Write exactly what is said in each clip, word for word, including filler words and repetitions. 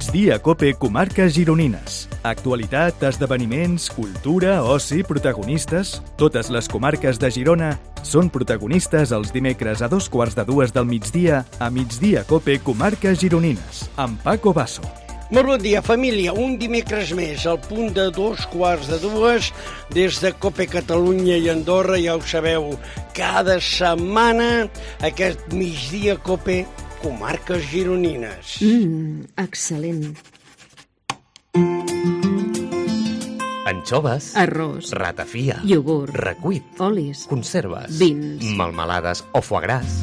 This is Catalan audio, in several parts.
Migdia Cope Comarques Gironines. Actualitat, esdeveniments, cultura, oci, protagonistes... Totes les comarques de Girona són protagonistes els dimecres a dos quarts de dues del migdia a Migdia Cope Comarques Gironines, amb Paco Basso. Molt bon dia, família. Un dimecres més, al punt de dos quarts de dues, des de Cope Catalunya i Andorra, ja ho sabeu, cada setmana aquest Migdia Cope Comarques Gironines. Mmm, excel·lent. Anxoves, arròs, ratafia, iogurt, recuit, olis, conserves, vins, melmelades o foie gras.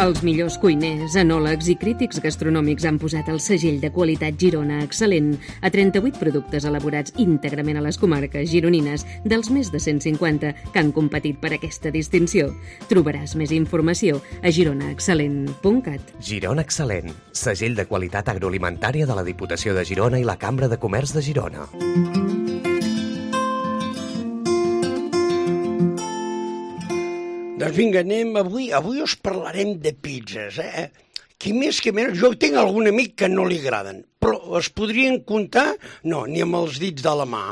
Els millors cuiners, enòlegs i crítics gastronòmics han posat el segell de qualitat Girona excel·lent a trenta-vuit productes elaborats íntegrament a les comarques gironines, dels més de cent cinquanta que han competit per aquesta distinció. Trobaràs més informació a girona excel·lent punt cat. Girona Excel·lent, segell de qualitat agroalimentària de la Diputació de Girona i la Cambra de Comerç de Girona. Doncs vinga, anem. Avui, avui us parlarem de pizzas, eh? Qui més que menys, jo tinc algun amic que no li agraden, però es podrien comptar, no, ni amb els dits de la mà.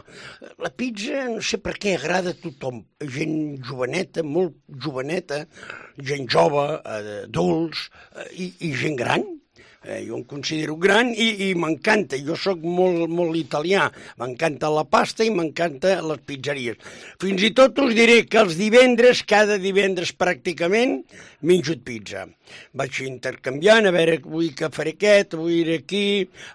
La pizza, no sé per què, agrada a tothom. Gent joveneta, molt joveneta, gent jove, adults i, i gent gran. Eh, jo em considero gran i, i m'encanta, jo sóc molt, molt italià, m'encanta la pasta i m'encanta les pizzeries. Fins i tot us diré que els divendres, cada divendres pràcticament, menjo pizza. Vaig intercanviant, a veure, avui que faré aquest, avui iré aquí,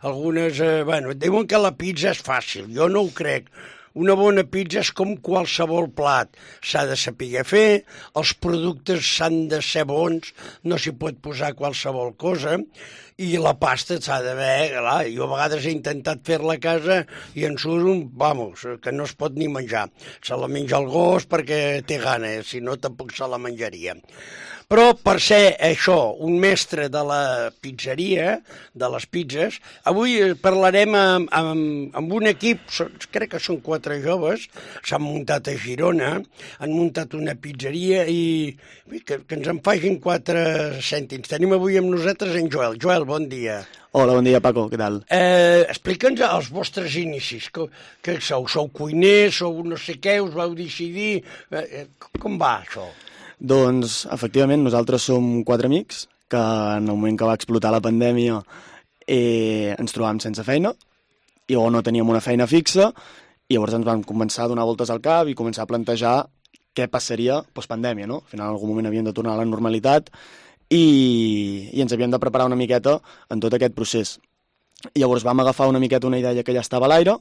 algunes, eh, bueno, diuen que la pizza és fàcil, jo no ho crec. Una bona pizza és com qualsevol plat. S'ha de saber fer, els productes s'han de ser bons, no s'hi pot posar qualsevol cosa, i la pasta s'ha d'haver... Clar, jo a vegades he intentat fer-la a casa i en surt un, vamos, que no es pot ni menjar. Se la menja el gos perquè té gana, si no tampoc se la menjaria. Però per ser això, un mestre de la pizzeria, de les pizzas, avui parlarem amb, amb, amb un equip, crec que són quatre joves, s'han muntat a Girona, han muntat una pizzeria i que, que ens en facin quatre cèntims. Tenim avui amb nosaltres en Joel. Joel, bon dia. Hola, bon dia, Paco, què tal? Eh, Explica'ns els vostres inicis. Que, que sou? Sou cuiners, sou no sé què, us vau decidir... Eh, com va això? Doncs, efectivament, nosaltres som quatre amics que en el moment que va explotar la pandèmia eh, ens trobàvem sense feina i o no teníem una feina fixa i llavors ens vam començar a donar voltes al cap i començar a plantejar què passaria postpandèmia, no? Al final, en algun moment havíem de tornar a la normalitat i, i ens havíem de preparar una miqueta en tot aquest procés. I llavors vam agafar una miqueta una idea que ja estava a l'aire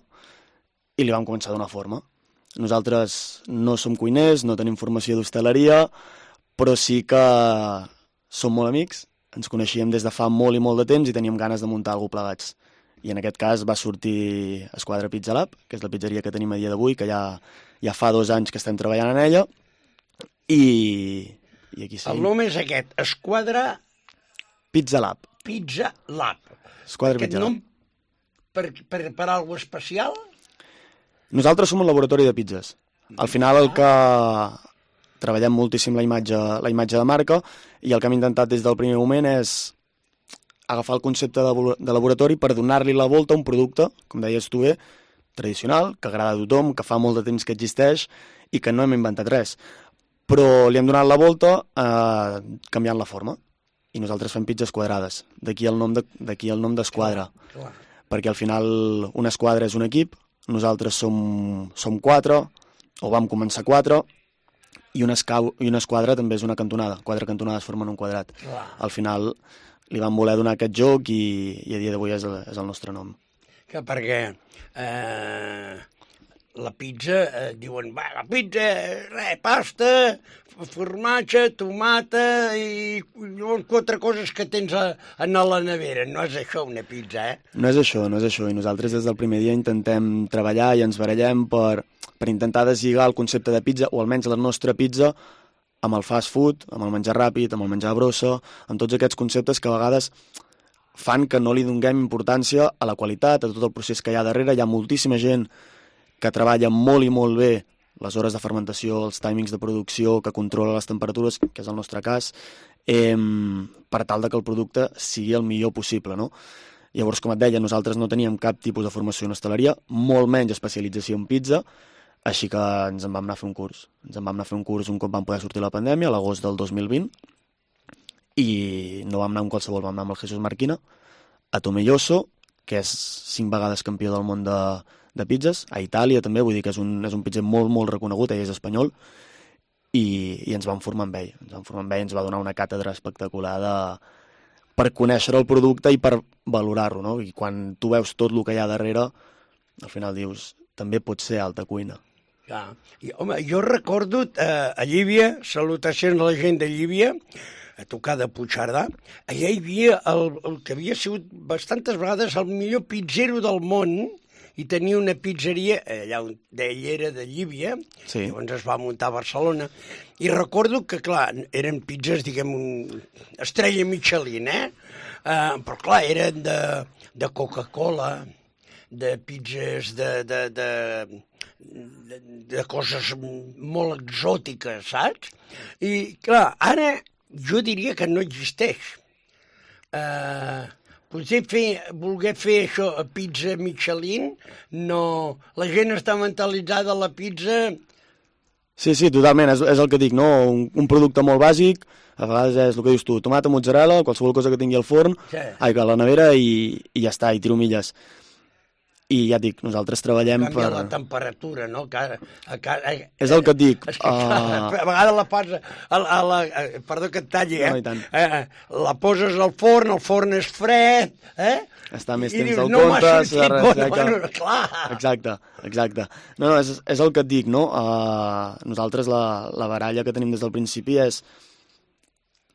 i li vam començar a donar forma. Nosaltres no som cuiners, no tenim formació d'hostaleria, però sí que som molt amics, ens coneixíem des de fa molt i molt de temps i teníem ganes de muntar alguna cosa plegats. I en aquest cas va sortir Esquadra Pizza Lab, que és la pizzeria que tenim a dia d'avui, que ja, ja fa dos anys que estem treballant en ella, i, i aquí sí. El nom és aquest, Esquadra... Pizza Lab. Pizza Lab. Esquadra aquest Pizza Lab. nom per, per, per alguna cosa especial? Nosaltres som un laboratori de pizzas. Al final el que treballem moltíssim la imatge, la imatge de marca i el que hem intentat des del primer moment és agafar el concepte de, de laboratori per donar-li la volta a un producte, com deies tu bé, tradicional, que agrada a tothom, que fa molt de temps que existeix i que no hem inventat res. Però li hem donat la volta eh, canviant la forma. I nosaltres fem pizzas quadrades. D'aquí el nom de, d'aquí el nom d'Esquadra. Perquè al final una esquadra és un equip, nosaltres som, som quatre, o vam començar quatre, i una, escau, i una esquadra també és una cantonada. Quatre cantonades formen un quadrat. Clar. Al final li vam voler donar aquest joc i, i a dia d'avui és, és el nostre nom. Que perquè eh, la pizza, eh, diuen, va, la pizza, res, pasta, formatge, tomata i llavors quatre coses que tens a, a la nevera. No és això una pizza, eh? No és això, no és això. I nosaltres des del primer dia intentem treballar i ens barallem per, per intentar deslligar el concepte de pizza, o almenys la nostra pizza, amb el fast food, amb el menjar ràpid, amb el menjar brossa, amb tots aquests conceptes que a vegades fan que no li donem importància a la qualitat, a tot el procés que hi ha darrere. Hi ha moltíssima gent que treballa molt i molt bé les hores de fermentació, els timings de producció, que controla les temperatures, que és el nostre cas, eh, per tal de que el producte sigui el millor possible, no? Llavors, com et deia, nosaltres no teníem cap tipus de formació en hostaleria, molt menys especialització en pizza, així que ens en vam anar a fer un curs. Ens en vam anar a fer un curs un cop vam poder sortir la pandèmia, a l'agost del dos mil vint, i no vam anar amb qualsevol, vam anar amb el Jesús Marquina, a Tomelloso, que és cinc vegades campió del món de, de pizzas, a Itàlia també, vull dir que és un, és un pizzer molt, molt reconegut, ell és espanyol, i, i ens vam formar amb ell. Ens vam formar amb ell, ens va donar una càtedra espectacular de, per conèixer el producte i per valorar-lo, no? I quan tu veus tot el que hi ha darrere, al final dius, també pot ser alta cuina. Ja. I, home, jo recordo eh, a Llívia, salutacions a la gent de Llívia, a tocar de Puigcerdà, allà hi havia el, el que havia sigut bastantes vegades el millor pizzero del món, i tenia una pizzeria, allà on ell era de Llívia, sí. Llavors es va muntar a Barcelona, i recordo que, clar, eren pizzas, diguem, un estrella Michelin, eh? Uh, però, clar, eren de, de Coca-Cola, de pizzas de, de, de, de, de coses molt exòtiques, saps? I, clar, ara jo diria que no existeix. Uh, potser fer, voler fer això a pizza Michelin, no... La gent està mentalitzada a la pizza... Sí, sí, totalment, és, és el que dic, no? Un, un producte molt bàsic, a vegades és el que dius tu, tomata, mozzarella, qualsevol cosa que tingui al forn, sí. ai, a la nevera i, i ja està, i tiro milles. I ja et dic, nosaltres treballem canvia per... la temperatura, no? Que, a, a, a, és el que et dic. És que, uh... a vegades la poses... A, a la, a, perdó que et talli, eh? No, i tant. Eh, la poses al forn, el forn és fred, eh? Està més I temps dius, del no compte... m'ha sentit bueno, bueno, clar. Exacte, exacte. No, no, és, és el que et dic, no? Uh, nosaltres la, la baralla que tenim des del principi és...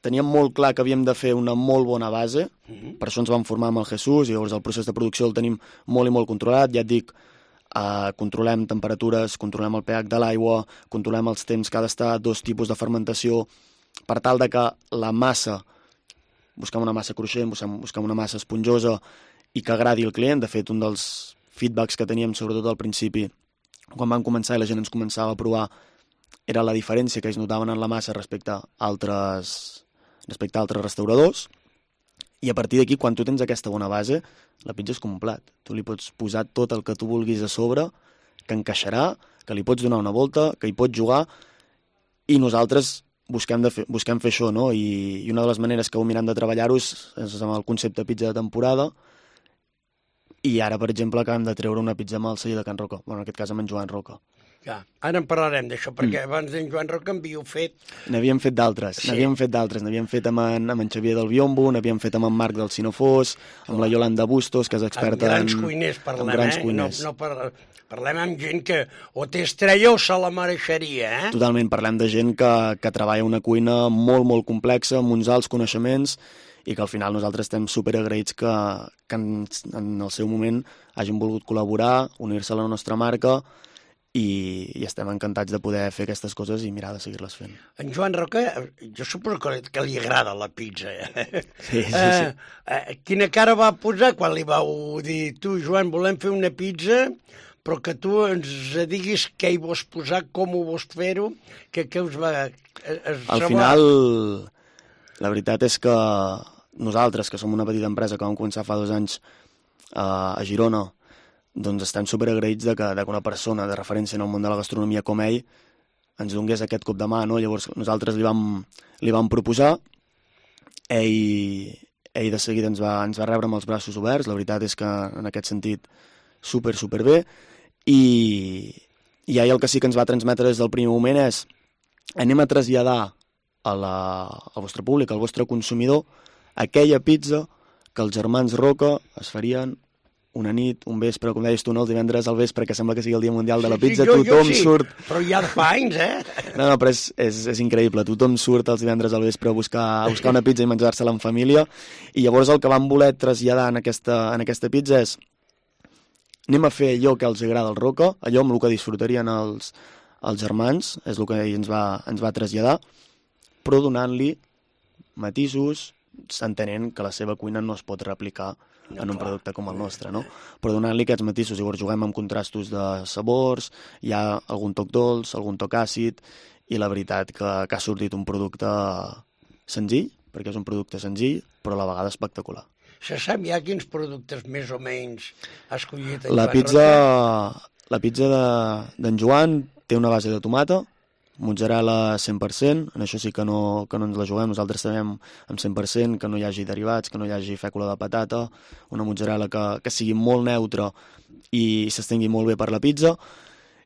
Teníem molt clar que havíem de fer una molt bona base, uh-huh. Per això ens vam formar amb el Jesús, i llavors el procés de producció el tenim molt i molt controlat, ja et dic, uh, controlem temperatures, controlem el pH de l'aigua, controlem els temps que ha d'estar, dos tipus de fermentació, per tal de que la massa, busquem una massa cruixent, busquem, busquem una massa esponjosa i que agradi al client. De fet, un dels feedbacks que teníem, sobretot al principi, quan vam començar i la gent ens començava a provar, era la diferència que ells notaven en la massa respecte a altres... respecte a altres restauradors, i a partir d'aquí, quan tu tens aquesta bona base, la pizza és com un plat. Tu li pots posar tot el que tu vulguis a sobre, que encaixarà, que li pots donar una volta, que hi pots jugar, i nosaltres busquem, de fer, busquem fer això, no? I, I una de les maneres que ho mirem de treballar-ho és, és amb el concepte pizza de temporada, i ara, per exemple, acabem de treure una pizza amb el celler de Can Roca, bueno, en aquest cas amb en Joan Roca. Ja, ara en parlarem d'això, perquè mm. abans d'en Joan Roca en havíeu fet... N'havíem fet d'altres, sí. n'havíem fet d'altres, n'havíem fet amb en, amb en Xavier del Biombo, n'havíem fet amb en Marc del Sinofós, amb la Yolanda Bustos, que és experta en... Amb grans cuiners parlem, grans eh? Cuiners. No, no par... Parlem amb gent que o té estrella o se la mereixeria, eh? Totalment, parlem de gent que, que treballa una cuina molt, molt complexa, amb uns alts coneixements, i que al final nosaltres estem superagraïts que, que en, en el seu moment hagin volgut col·laborar, unir-se a la nostra marca, i, i estem encantats de poder fer aquestes coses i mirar de seguir-les fent. En Joan Roca, jo suposo que, que li agrada la pizza. Eh? Sí, sí, sí. Eh, eh, quina cara va posar quan li vau dir, tu, Joan, volem fer una pizza, però que tu ens diguis què hi vols posar, com ho vols fer-ho, que, que us va... Es Al troba... final, la veritat és que nosaltres, que som una petita empresa que vam començar fa dos anys uh, a Girona, doncs estem superagraïts de que, de que una persona de referència en el món de la gastronomia com ell ens donés aquest cop de mà, no? Llavors nosaltres li vam, li vam proposar, ell, ell de seguida ens va, ens va rebre amb els braços oberts, la veritat és que en aquest sentit super, super bé, i, i ell el que sí que ens va transmetre des del primer moment és anem a traslladar a la, al vostre públic, al vostre consumidor, aquella pizza que els germans Roca es farien una nit, un vespre, com deies tu, no? El divendres al vespre, que sembla que sigui el dia mundial de la pizza, sí, jo, tothom jo sí, surt... però ja fa anys, eh? No, no, però és, és, és increïble. Tothom surt els divendres al vespre a buscar, a buscar una pizza i menjar-se-la en família, i llavors el que vam voler traslladar en aquesta, en aquesta pizza és anem a fer allò que els agrada al Roca, allò amb el que disfrutarien els, els germans, és el que ell ens va, ens va traslladar, però donant-li matisos, entenent que la seva cuina no es pot replicar No, en un clar. producte com el nostre, no? Però donant-li aquests matisos, llavors juguem amb contrastos de sabors, hi ha algun toc dolç, algun toc àcid, i la veritat que, que ha sortit un producte senzill, perquè és un producte senzill, però a la vegada espectacular. Se sap ja quins productes més o menys ha escollit en La Joan pizza, Roca? la pizza de- d'en Joan té una base de tomata, mozzarella cent per cent, en això sí que no, que no ens la juguem, nosaltres sabem amb cent per cent que no hi hagi derivats, que no hi hagi fècula de patata, una mozzarella que, que sigui molt neutra i s'estengui molt bé per la pizza,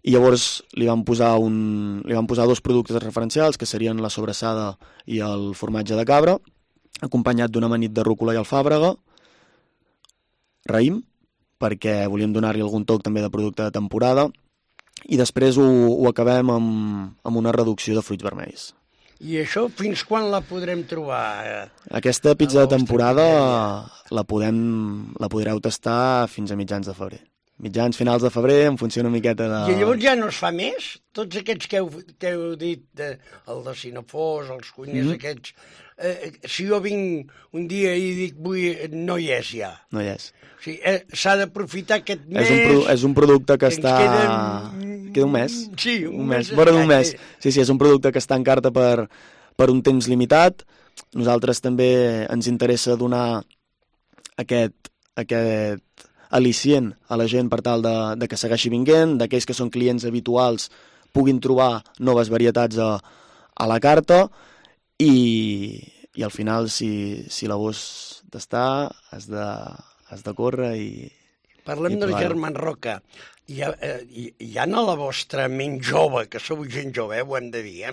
i llavors li vam posar, un, li vam posar dos productes referencials, que serien la sobrassada i el formatge de cabra, acompanyat d'una amanit de rúcula i alfàbrega, raïm, perquè volíem donar-li algun toc també de producte de temporada, i després ho, ho acabem amb, amb una reducció de fruits vermells. I això fins quan la podrem trobar? Aquesta pizza A la de temporada vostra la, podem, la podreu tastar fins a mitjans de febrer. Mitjans, finals de febrer, en funció una miqueta de... I llavors ja no es fa més? Tots aquests que heu, que heu dit, de, el de Cinefós, els cuiners mm. aquests, eh, si jo vinc un dia i dic vull, no hi és ja. No hi és. O sigui, eh, s'ha d'aprofitar aquest mes... És un, pro, és un producte que ens està... queden- Queda un mes. Sí, un, un mes. mes. Vora d'un mes. escaig. Sí, sí, és un producte que està en carta per, per un temps limitat. Nosaltres també ens interessa donar aquest, aquest al·licient a la gent per tal de, de que segueixi vinguent, d'aquells que són clients habituals puguin trobar noves varietats a, a la carta i, i al final, si, si la vols tastar, has de, has de córrer i... Parlem I del provar-ho. Germán Roca. Hi ha, eh, hi, hi ha a la vostra ment jove, que sou gent jove, eh, ho hem de dir, eh?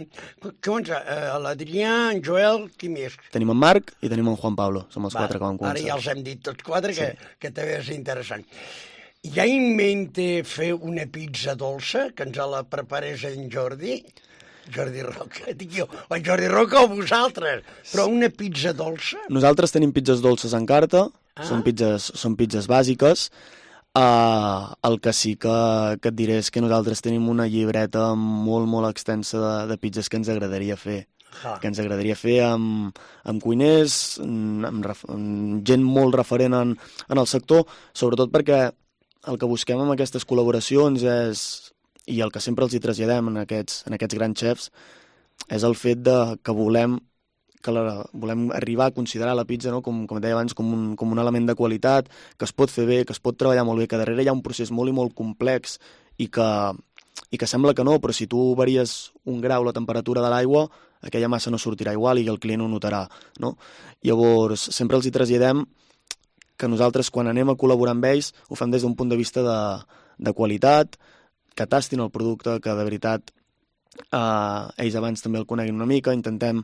Com, eh l'Adrià, en Joel, qui més? Tenim en Marc i tenim en Juan Pablo. Som els Va, quatre que vam començar. Ara ja els hem dit tots quatre, que, Sí. que també és interessant. Hi ha en mente fer una pizza dolça, que ens la preparés en Jordi? Jordi Roca, dic jo, o en Jordi Roca o vosaltres, però una pizza dolça? Nosaltres tenim pizzas dolces en carta, Ah. són, pizzas, són pizzas bàsiques. Uh, el que sí que, que et diré és que nosaltres tenim una llibreta molt, molt extensa de, de pizzas que ens agradaria fer. Ah. Que ens agradaria fer amb, amb cuiners, amb, ref, amb gent molt referent en, en el sector, sobretot perquè el que busquem amb aquestes col·laboracions és, i el que sempre els hi traslladem en aquests, en aquests grans xefs, és el fet de que volem que la, volem arribar a considerar la pizza, no? com, com deia abans, com un, com un element de qualitat, que es pot fer bé, que es pot treballar molt bé, que darrere hi ha un procés molt i molt complex i que, i que sembla que no, però si tu varies un grau la temperatura de l'aigua, aquella massa no sortirà igual i el client ho notarà. No? Llavors, sempre els hi traslladem que nosaltres, quan anem a col·laborar amb ells, ho fem des d'un punt de vista de, de qualitat, que tastin el producte, que de veritat eh, ells abans també el coneguin una mica, intentem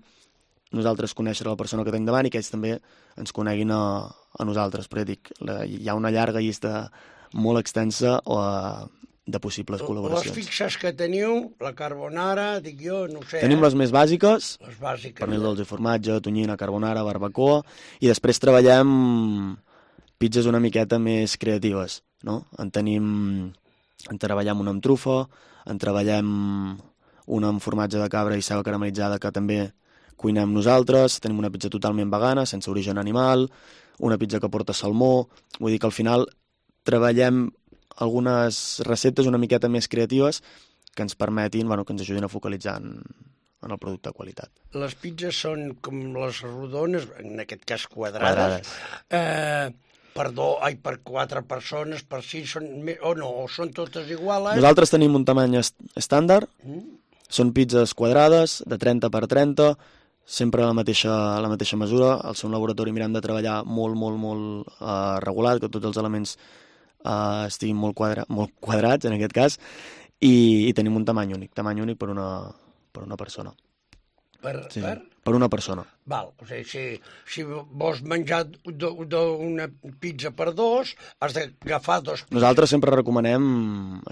nosaltres conèixer la persona que tenim davant i que ells també ens coneguin a, a nosaltres. Però ja dic, la, hi ha una llarga llista molt extensa o, de possibles col·laboracions. Les fixes que teniu, la carbonara, dic jo, no ho sé. Tenim eh? les més bàsiques, les bàsiques. pernil dolç i formatge, tonyina, carbonara, barbacoa, i després treballem pizzas una miqueta més creatives, no? En tenim, en treballem una amb trufa, en treballem una amb formatge de cabra i ceba caramelitzada que també cuinem nosaltres, tenim una pizza totalment vegana, sense origen animal, una pizza que porta salmó, vull dir que al final treballem algunes receptes una miqueta més creatives que ens permetin, bueno, que ens ajudin a focalitzar en, en el producte de qualitat. Les pizzas són com les rodones, en aquest cas quadrades, quadrades. Eh, per, do, ai, per quatre persones, per sis, són, o no, o són totes iguals. Nosaltres tenim un tamany est estàndard, Mm. són pizzas quadrades, de trenta per trenta, sempre a la mateixa, a la mateixa mesura. Al seu laboratori mirem de treballar molt, molt, molt uh, regulat, que tots els elements uh, estiguin molt, quadra, molt quadrats, en aquest cas, i, i tenim un tamany únic, tamany únic per una, per una persona. Per, Sí, per? per una persona. Val, o sigui, si, si vols menjar una pizza per dos, has d'agafar dos pizzas. Nosaltres sempre recomanem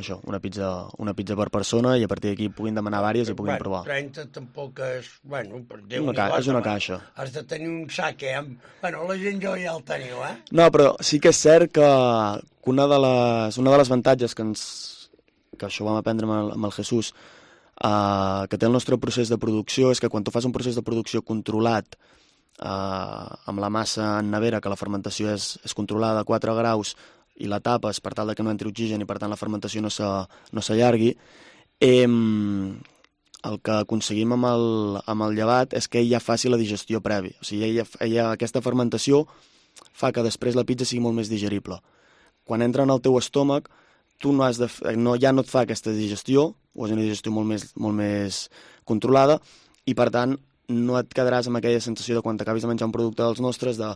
això, una pizza, una pizza per persona, i a partir d'aquí puguin demanar vàries i puguin bueno, provar. trenta tampoc és... Bueno, per Déu Una ca és una caixa. Has de tenir un sac, eh? Amb... Bueno, la gent jo ja el teniu, eh? No, però sí que és cert que, que una, de les, una de les avantatges que, ens, que això ho vam aprendre amb el, amb el Jesús, Uh, que té el nostre procés de producció és que quan tu fas un procés de producció controlat eh, amb la massa en nevera, que la fermentació és, és controlada a quatre graus, i la tapes per tal que no entri oxigen i per tant la fermentació no s'allargui, eh, el que aconseguim amb el, amb el llevat és que ell ja faci la digestió prèvia. O sigui, ella, ella, aquesta fermentació fa que després la pizza sigui molt més digerible. Quan entra en el teu estómac, tu no has de, no, ja no et fa aquesta digestió, o és una digestió molt més, molt més controlada, i per tant no et quedaràs amb aquella sensació de quan t'acabis de menjar un producte dels nostres, de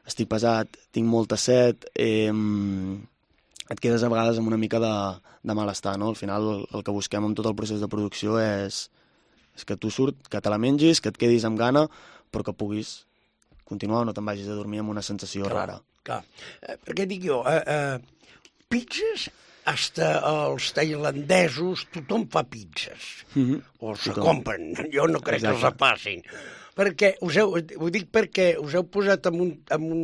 estic pesat, tinc molta set, eh, et quedes a vegades amb una mica de, de malestar, no? Al final el, el que busquem amb tot el procés de producció és, és que tu surt, que te la mengis, que et quedis amb gana, però que puguis continuar o no te'n vagis a dormir amb una sensació clar, rara. Clar, eh, perquè dic jo, eh, eh, pizzas, hasta els tailandesos, tothom fa pizzas, mm-hmm. o se tothom. compren, jo no crec Exacte. que els passin. Perquè, us heu, ho dic perquè us heu posat en un, en un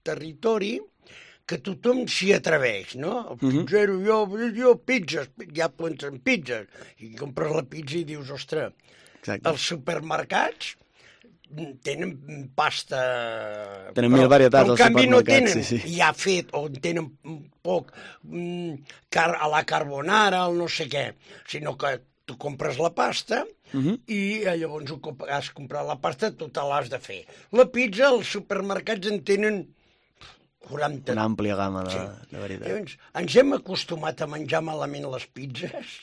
territori que tothom s'hi atreveix, no? El pizzero, mm-hmm. jo, jo, pizzas, ja pensen pizzas, i compres la pizza i dius, ostres, Exacte. els supermercats tenen pasta... Tenen mil varietats als supermercats, no tenen, sí, sí. ja fet, o tenen poc mm, car a la carbonara, el no sé què, sinó que tu compres la pasta uh-huh. i llavors has comprat la pasta, tu te l'has de fer. La pizza, els supermercats en tenen quaranta... Una àmplia gamma de, sí. de veritat. Llavors, ens hem acostumat a menjar malament les pizzas...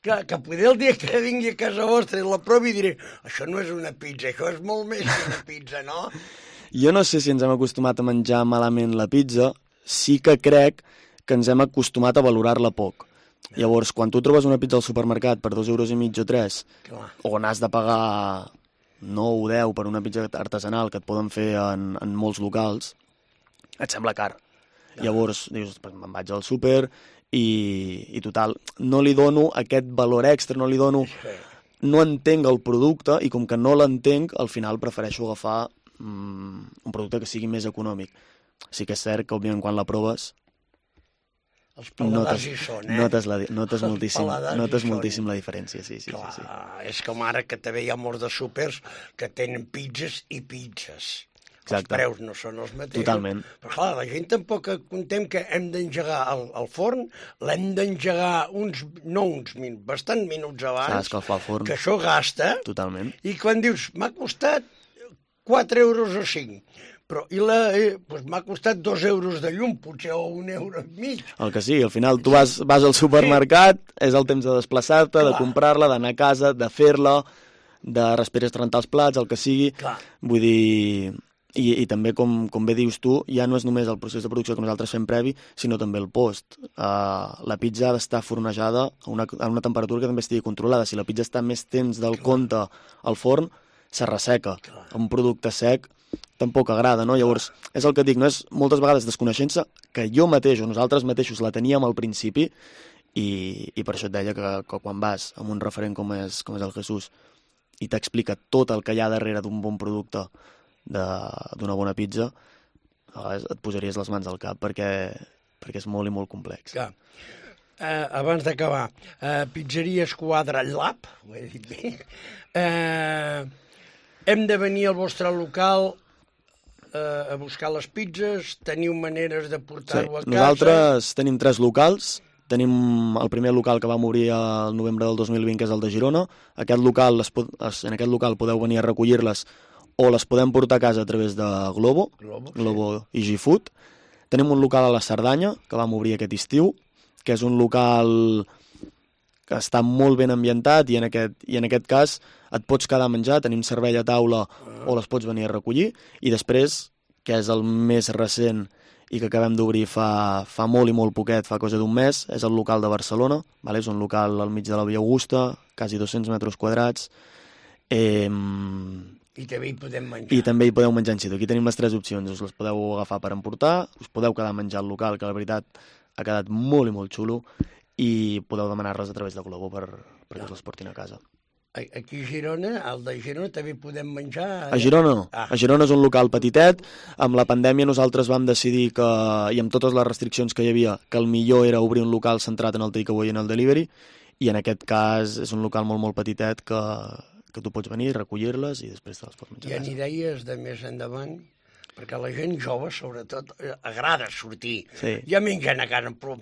Que, que poder el dia que vingui a casa vostra i la provi diré, això no és una pizza, això és molt més que una pizza, no? Jo no sé si ens hem acostumat a menjar malament la pizza, sí que crec que ens hem acostumat a valorar-la poc. Llavors, quan tu trobes una pizza al supermercat per dos euros i mig o tres, Clar. on has de pagar nou o deu per una pizza artesanal que et poden fer en, en molts locals, et sembla car. Ja. Llavors, dius, me'n vaig al súper... I, i total, no li dono aquest valor extra, no li dono... No entenc el producte i com que no l'entenc, al final prefereixo agafar mm, un producte que sigui més econòmic. Sí que és cert que, òbviament, quan la proves... Els paladars hi són, eh? Notes, la, notes moltíssim, notes moltíssim la diferència, sí, sí, Clar, sí, sí. És com ara que també hi ha molts de súpers que tenen pizzas i pizzas. Exacte. Els preus no són els mateixos. Totalment. Però clar, la gent tampoc contem que hem d'engegar el, el forn, l'hem d'engegar uns, no uns minuts, bastant minuts abans. S'ha d'escalfar el forn. Que això gasta. Totalment. I quan dius, m'ha costat quatre euros o cinc, però i la, eh, doncs m'ha costat dos euros de llum, potser, o un euro i mig. El que sí, al final tu vas, vas al supermercat, sí. és el temps de desplaçar-te, de comprar-la, d'anar a casa, de fer-la, de després rentar els plats, el que sigui. Clar. Vull dir... I, i també, com, com bé dius tu, ja no és només el procés de producció que nosaltres fem previ, sinó també el post. Uh, la pizza ha d'estar fornejada a una, a una temperatura que també estigui controlada. Si la pizza està més temps del Clar. compte al forn, se resseca. Clar. Un producte sec tampoc agrada, no? Llavors, és el que dic, no és moltes vegades desconeixença que jo mateix o nosaltres mateixos la teníem al principi i, i per això et deia que, que quan vas amb un referent com és, com és el Jesús i t'explica tot el que hi ha darrere d'un bon producte d'una bona pizza, a vegades et posaries les mans al cap perquè, perquè és molt i molt complex. Ja. Eh, abans d'acabar, eh, Pizzeria Esquadra Lab, ho he dit bé, eh, hem de venir al vostre local eh, a buscar les pizzas, teniu maneres de portar-ho sí. a casa? Nosaltres tenim tres locals. Tenim el primer local que vam obrir el novembre del dos mil vint, que és el de Girona. Aquest local, en aquest local podeu venir a recollir-les o les podem portar a casa a través de Globo, Globo, Globo sí. i G-Food. Tenim un local a la Cerdanya, que vam obrir aquest estiu, que és un local que està molt ben ambientat i en aquest, i en aquest cas et pots quedar a menjar, tenim servei a taula uh. o les pots venir a recollir. I després, que és el més recent i que acabem d'obrir fa, fa molt i molt poquet, fa cosa d'un mes, és el local de Barcelona, vale? És un local al mig de la Via Augusta, quasi dos-cents metres quadrats. Eh, I també hi podem menjar. I també hi podeu menjar en situ. Aquí tenim les tres opcions. Us les podeu agafar per emportar, us podeu quedar a menjar al local, que la veritat ha quedat molt i molt xulo, i podeu demanar-les a través de Globo per, perquè us les portin a casa. Aquí a Girona, al de Girona, també podem menjar... A Girona no. Ah. A Girona és un local petitet. Amb la pandèmia nosaltres vam decidir que, i amb totes les restriccions que hi havia, que el millor era obrir un local centrat en el takeaway i en el delivery, i en aquest cas és un local molt, molt petitet que, que tu pots venir, recollir-les i després te les pots menjar. Hi ha idees de més endavant? Perquè a la gent jove, sobretot, agrada sortir. Sí. Ja mengen a casa, però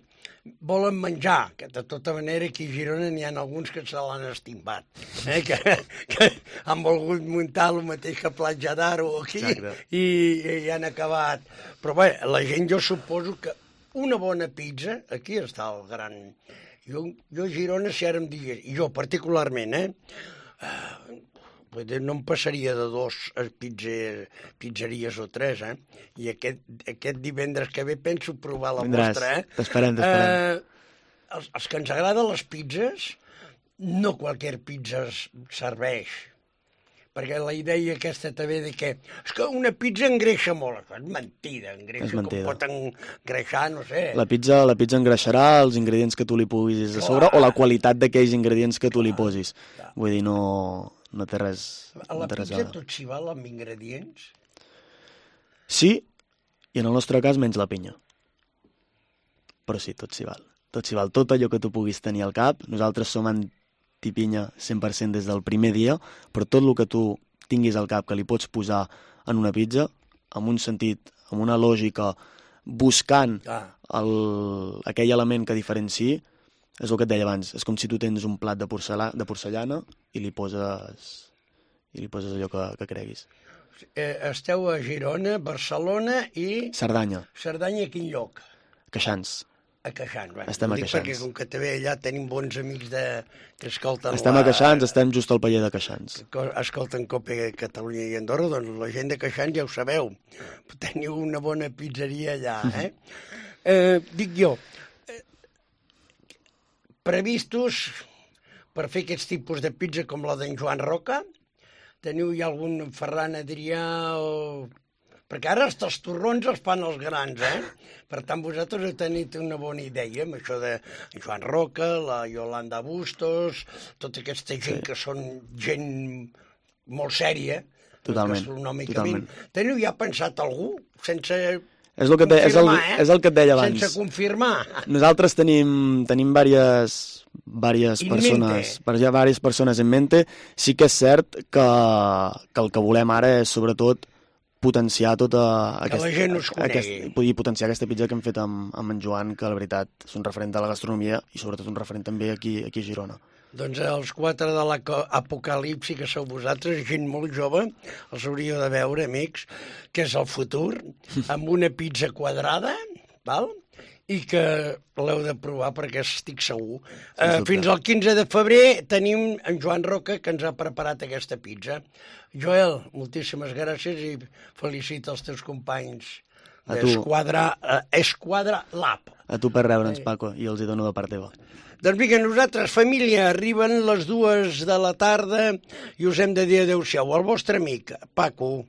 volen menjar, que de tota manera aquí a Girona n'hi ha alguns que se l'han estimbat, eh? que, que han volgut muntar el mateix que Platja d'Aro aquí i, i han acabat. Però bé, la gent jo suposo que una bona pizza, aquí està el gran... Jo, jo a Girona, si ara em digués, i jo particularment, eh? Uh, no em passaria de dos pizzer, pizzeries o tres, eh? I aquest, aquest divendres que ve penso provar la Vindràs. vostra, eh? T'esperem, t'esperem. Eh, els, els que ens agraden les pizzas, no qualsevol pizza serveix. Perquè la idea aquesta també de que és que una pizza engreixa molt. És mentida, engreixa, És mentida. com pot engreixar, no sé. La pizza, la pizza engreixarà els ingredients que tu li puguis a sobre o la qualitat d'aquells ingredients que tu li posis. Vull dir, no... No té res... A la no té res pizza a... tot s'hi val amb ingredients? Sí, i en el nostre cas menys la pinya. Però sí, tot s'hi val. Tot s'hi val. Tot allò que tu puguis tenir al cap. Nosaltres som antipinya cent per cent des del primer dia, però tot el que tu tinguis al cap que li pots posar en una pizza, amb un sentit, amb una lògica, buscant Ah. el, aquell element que diferenciï, és el que et deia abans, és com si tu tens un plat de, porcela, de porcellana i li poses, i li poses allò que, que creguis. Eh, esteu a Girona, Barcelona i... Cerdanya, Cerdanya, a quin lloc? Queixans. A Queixans. Bueno, Estem a dic Queixans. Perquè com que també allà tenim bons amics de... que escolten Estem la... a Queixans, estem just al paller de Queixans. que escolten Cope Catalunya i Andorra, doncs la gent de Queixans ja ho sabeu. Teniu una bona pizzeria allà, eh? eh dic jo, eh, previstos per fer aquests tipus de pizza com la d'en Joan Roca? Teniu ja algun Ferran Adrià o... Perquè ara els torrons els fan els grans, eh? Per tant, vosaltres heu tenit una bona idea amb això de Joan Roca, la Yolanda Bustos, tota aquesta gent sí. que són gent molt sèria, Totalment, gastronòmicament. totalment. Teniu ja pensat algú? Sense És el que et deia, és el, confirmar, eh? és el que et deia abans. Sense confirmar. Nosaltres tenim, tenim diverses, diverses In persones, mente. per, ja diverses persones en mente. Sí que és cert que, que el que volem ara és, sobretot, potenciar tota Que la gent us conegui. aquest, i potenciar aquesta pizza que hem fet amb, amb en Joan, que la veritat és un referent de la gastronomia i sobretot un referent també aquí, aquí a Girona. Doncs els quatre de l'apocalipsi, que sou vosaltres, gent molt jove, els hauríeu de veure, amics, que és el futur, amb una pizza quadrada, val? I que l'heu de provar perquè estic segur. Uh, fins al quinze de febrer tenim en Joan Roca, que ens ha preparat aquesta pizza. Joel, moltíssimes gràcies i felicita els teus companys d'Esquadra uh, Esquadra Lab. A tu per rebre'ns, Paco, i els hi dono de part teva. Doncs vinga, nosaltres, família, arriben les dues de la tarda i us hem de dir adéu-siau. El vostre amic, Paco.